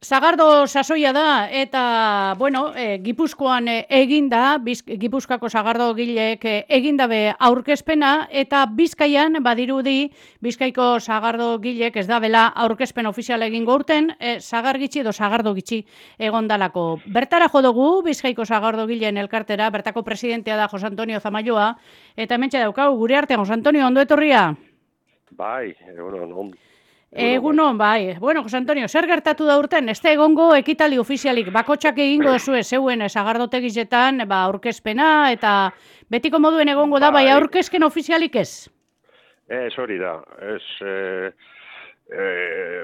Sagardo sasoia da, eta, bueno, Gipuzkoan eginda, Gipuzkoako sagardo gileek egindabe aurkezpena, eta Bizkaian, badirudi, Bizkaiko sagardo gileek ez da bela aurkezpen ofizial egingo urten, sagar gitxi edo sagardo gitxi egondalako. Bertara jo dugu, Bizkaiko sagardo gileen elkartera, bertako presidentea da Jose Antonio Zamaioa, eta hementxe daukau, gure artean, Jose Antonio, ondo etorria? Bai, egunon. Egunon, bai. Bueno, Jose Antonio, zer gertatu da urten? Ez da egongo ekitali ofizialik, bakotxak egingo zuen zeuen sagardotegizetan, aurkezpena, eta betiko moduen egongo da, bai aurkezken ofizialik ez? Ez hori da,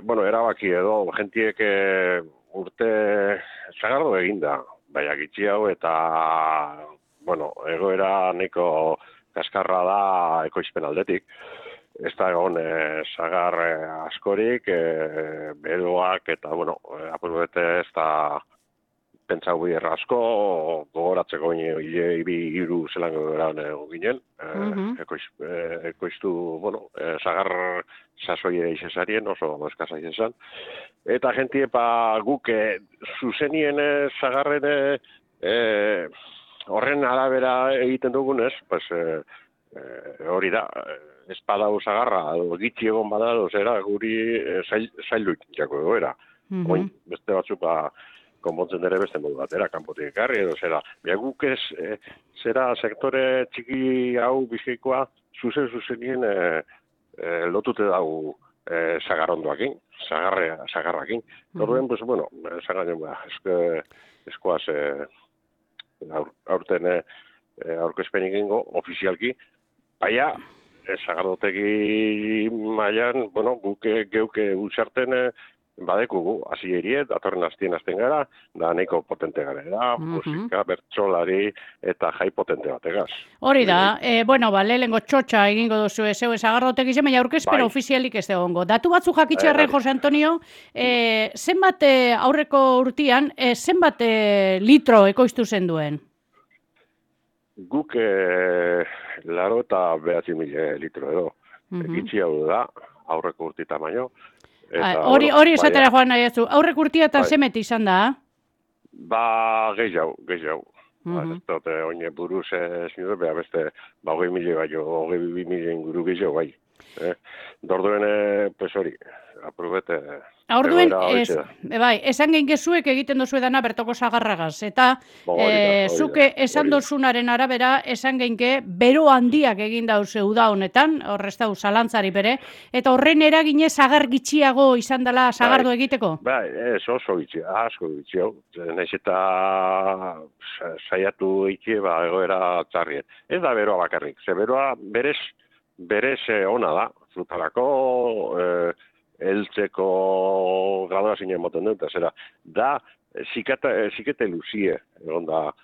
bueno, erabaki edo, jentiek urte sagardo eginda, bai agitzi hau, eta, bueno, egoera nahiko kaskarra da ekoizpen aldetik. Ez da egon sagar askorik, beroak eta, bueno, apurbete ez da pentsau bider asko, gogoratzeko hiru zelango geran ginen, ekoiztu, bueno, sagar sasoie izesarien, oso eskasa izan. Eta jentie guk zuzenien sagarren horren arabera egiten dugunez, pues, hori da, espadau sagarra, gitxi egon bada, zera, guri zailu jako egoera. Oin, beste batzuk konpontzen dere beste modu batera, kanpotik ekarri, edo zera. Bia guk ez, zera, sektore txiki hau bizkaikoa, zuzenien lotute dago sagarrondoakin, sagarrakin. Horren, pues, bueno, zaganen, eskoaz aurten aurkezpenik ingo, ofizialki, baina, sagardotegi mailan, bueno, guk geuke utxarten badekugu, hasi erie, datorren azten gara, da nahiko potente gara, musika, bertsolari eta jai potente bategaz. Hori da, bueno, lehengo txotxa egingo duzu zeuen sagardotegi zen, baina aurkezpena ofizialik ez egongo. Datu batzu jakitxerren, Jose Antonio, zenbat aurreko urtian, zenbat litro ekoiztu zen duen? Guk 89.000 litro edo. Gitxi hau da, aurreko urtita baino. Hori esatera joan nahi ez du. Aurreko urtia eta zemet izan da? Ba, gehiago. Ez dute, oine buruz zindu, beha beste, 20.000 baino, 22.000 inguru gehiago bai. Dorduen, pues hori, aprobete... Orduen, esan gehin gezuek egiten dozu edana bertoko sagarragaz, eta zuke esan dozunaren arabera, esan gehinke bero handiak egin dauze uda honetan, horrez dau zalantzari bere, eta horren eragine sagar gitxiago izan dela sagardo egiteko? Bai, ez oso gitxi, asko gitxi hau, nahiz eta saiatu egitea egoera txarrien. Ez da beroa bakarrik, ze beroa berez ona da, frutarako, eltzeko gradua zinen moten dut, zera, da, zikete luzie, egon da,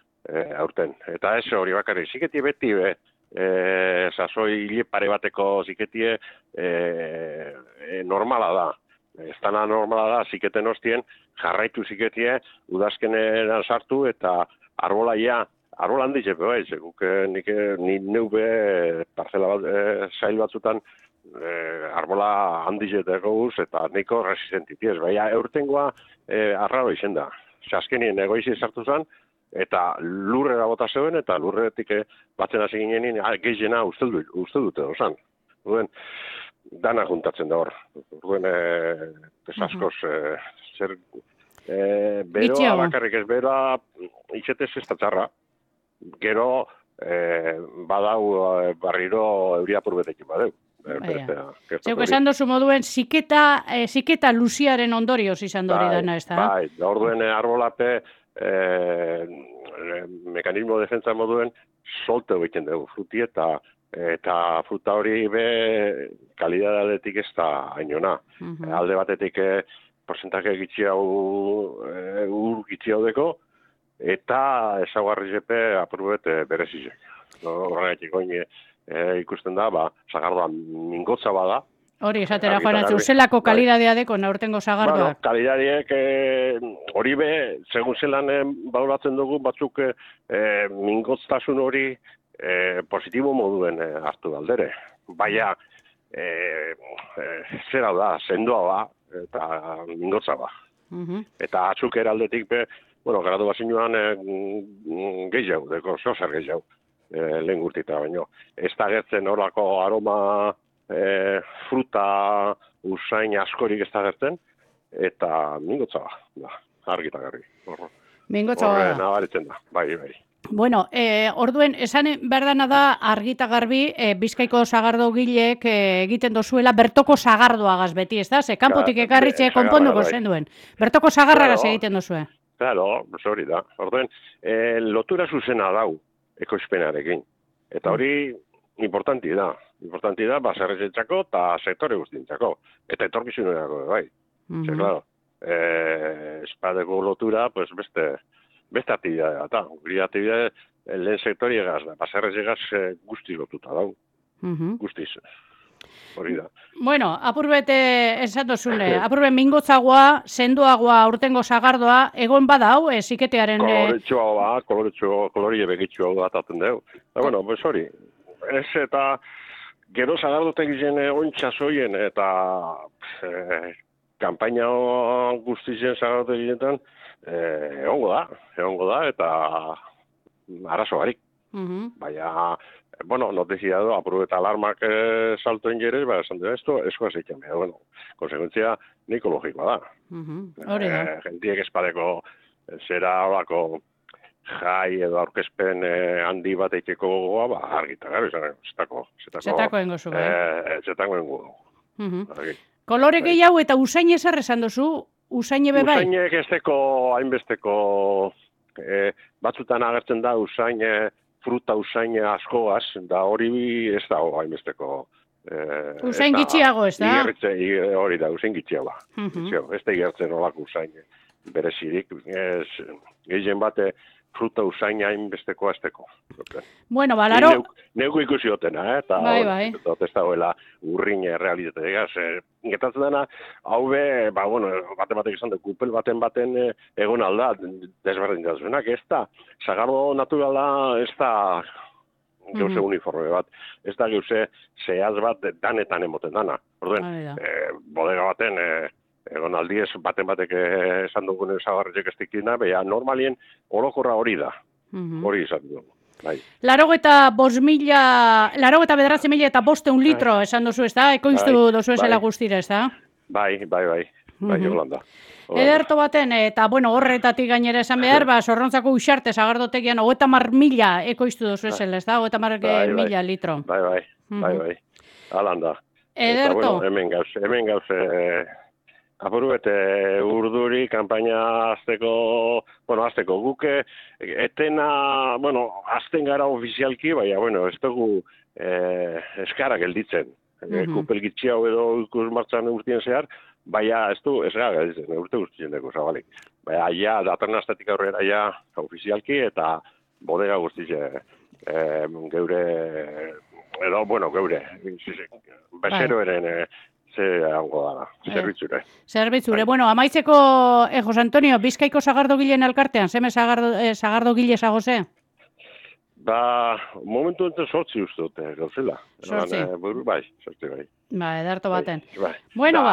aurten. Eta ez hori bakarri, ziketie beti, sasoi hile pare bateko ziketie normala da. Ez dana normala da, ziketen hostien, jarraitu ziketie, udazkenean sartu, eta arbolaia, arbola handiz, bai, guk nik neube parcela bat, sail batzutan, arbola handizeteko guz, eta nahiko resistentitiez. Baina, eurtengoa arraro izen da. Azkenien egoizi sartu zen, eta lurrera bota zeuen, eta lurretik batzen hasi ginenin, gehiena uste dute dozan. Dana juntatzen da hor. Askoz, zer... beroa bakarrik ez, beroa itxetez ez da txarra. Gero, badau barriro euria purbetekin badeu. Zeuk esan dozu moduen, ziketa luziaren ondorioz izan dori dana, ez da? Bai, orduen arbolape mekanismo defentsa moduen solte egiten dugu fruti eta fruta hori be kalidadadetik ez da hainona. Alde batetik porcentaje gitxi hau gitxi hau deko, eta ezaguarri zepe apurbet berezizek. Horregatik oine ikusten da, sagardoa mingotza bada. Hori, esatera joan atzu, zelako kalidadea deko naurtengo sagardoak? Bueno, kalidadeek hori be, segun zelan baulatzen dugu, batzuk mingotztasun hori positibo moduen hartu aldere. Baina, zera da, sendoa ba, eta mingotza ba. Eta atzukera aldetik, bueno, graduazioan gehiago, deko zozer gehiago, lehen gurtita baino. Ez da gertzen horako aroma fruta usain askorik ez da gertzen, eta mingotza da, argita garbi. Mingotza Horre nabaritzen da, bai. Bueno, orduen, esan berdana da argita garbi Bizkaiko sagardogilek egiten dozuela bertoko sagardoagaz beti, ez da? Ze kanpotik ekarritxe konponduko zen duen. Bertoko sagarragaz egiten dozue. Claro, hori da. Orduen, lotura zuzena dau ekoizpenarekin. Eta hori importanti da. Importanti da, baserrezentzako eta sektore guztientzako. Eta etorkizunerako, bai. Ze, claro, espadeko lotura, pues beste aktibidadea, eta guri aktibidade lehen sektoriegaz da, baserrezegaz guztiz lotuta dau. Guztiz. Hori da. Bueno, apurbete esan dozune, apurbet mingotzagoa, sendoagoa, urtengo sagardoa, egon badau, ziketearen... Kolorie begitxua da ataten dugu. Bueno, pues hori, ez eta gero sagardotek zen ontsa zoien, eta kampaina guztizen sagardotek ginetan, egongo da, eta arazo barik. Baina, bueno, notizia du, aprobeta alarmak saltoen jerez, esan dira, esko azeitzen behar, bueno, konsekuentzia nikologikoa da. Hori da. Gentiek espadeko zera horako jai edo aurkezpen handi bat eiteko gogoa, argita gara, zetako engo zu, bai. Zetako engo. Kolore gehiago eta usain ezer esan duzu, usain ebe bai? Usainek ez deko hainbesteko, batzutan agertzen da usain, fruta usain askoaz, da hori ez da hainbesteko. Usain gitxiago ez da? Hori da, usain gitxiago. Ez da igertzen olako usain berezirik. Gehien bate fruta usain hainbesteko azteko. Bueno, balaro... Neuko ikusi hotena, eta ez da hoela urrin realitate egaz. Getatzen dena, hau be, bueno, baten izan dut, kupel baten egon alda, desberdin da zuenak, ez da, sagardo naturala, ez da geuse uniforme bat, ez da geuse zehaz bat danetan emoten dana. Orduen, bodega baten, egon aldiez, batek esan dugun zagarretxek ez dikina, beha normalien orokorra hori da, hori izan dugu. Larogeta bederatzi mila eta 500 litro esan duzu, ez da? Ekoiztu duzu esela guztira, ez da? Bai, Holanda. Ederto baten, eta bueno, horretatik gainera esan behar, Zorrontzako Uxarte sagardotegian 30.000 ekoiztu duzu esela, ez da? 30.000 litro. Bai. Holanda. Ederto. Hemen gauz, apurbete urduri, kampaina azteko guke, etena, azten gara ofizialki, baina, ez dugu eskara gelditzen. Kupel gitxiau edo ikus martxan urtien zehar, baina ez du eskara gelditzen, urte guztien dugu zabalik. Baina, ja, datorren astetik aurrera, ja, ofizialki, eta bodega guztien geure, bezeroeren hango dara, zerbitzure. Zerbitzure. Bueno, amaitzeko, Jose Antonio, Bizkaiko sagardogileen elkartean, zeme sagardogile zagoze? Momentu enten sortzi uste dute, gauzela. Sortzi? Sortzi bai. Ederto baten. Bueno,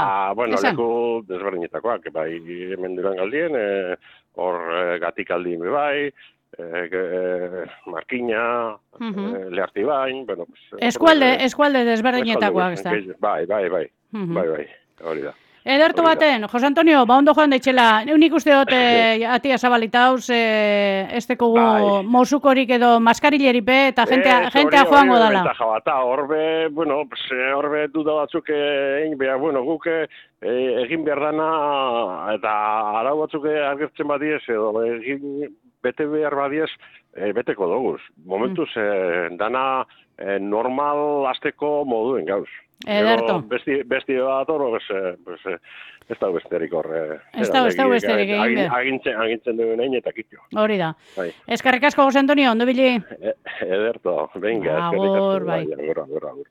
leku desberdinetakoak, hemen duran galdien, hor gatik aldien bai, Markina, Leharti bain, eskualde desberdinetakoak, ez da? Bai, hori da. Ederto baten, Jose Antonio, ondo joan daitxela, nik uste dut atia zabalita hauz, ez teko mozukorik edo maskarileripe eta jentea joango dala. Horbe duda batzuk guk egin behar dana eta arau batzuk agertzen badiez edo egin bete behar badiez beteko doguz. Momentuz dana normal azteko moduen gauz. Ederto. Besti bat hor, ez da besterik hor. Ez da besterik egin behar. Agintzen duen egin eta kitxo. Hori da. Eskerrik asko, Jose Antonio, ondo bili? Ederto, venga. Agur, bai. Agur.